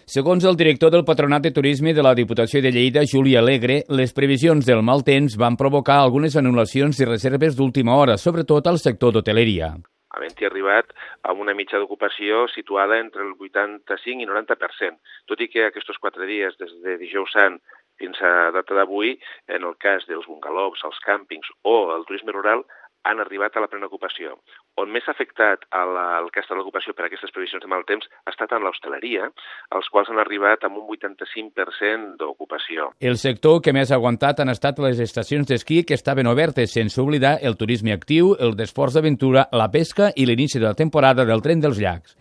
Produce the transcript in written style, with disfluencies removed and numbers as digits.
Segons el director del Patronat de Turisme de la Diputació de Lleida, Juli Alegre, les previsions del mal temps van provocar algunes anul·lacions i reserves d'última hora, sobretot al sector d'hoteleria. Havent-hi arribat a una mitja d'ocupació situada entre el 85 i 90%, tot i que aquests 4 dies, des de dijous sant fins a data d'avui, en el cas dels bungalows, els càmpings o el turisme rural, han arribat a la plena ocupació. On més ha afectat el cas de l'ocupació per aquestes previsions de mal temps ha estat en l'hostaleria, els quals han arribat amb un 85% d'ocupació. El sector que més ha aguantat han estat les estacions d'esquí que estaven obertes, sense oblidar el turisme actiu, el d'esports d'aventura, la pesca i l'inici de la temporada del tren dels llacs.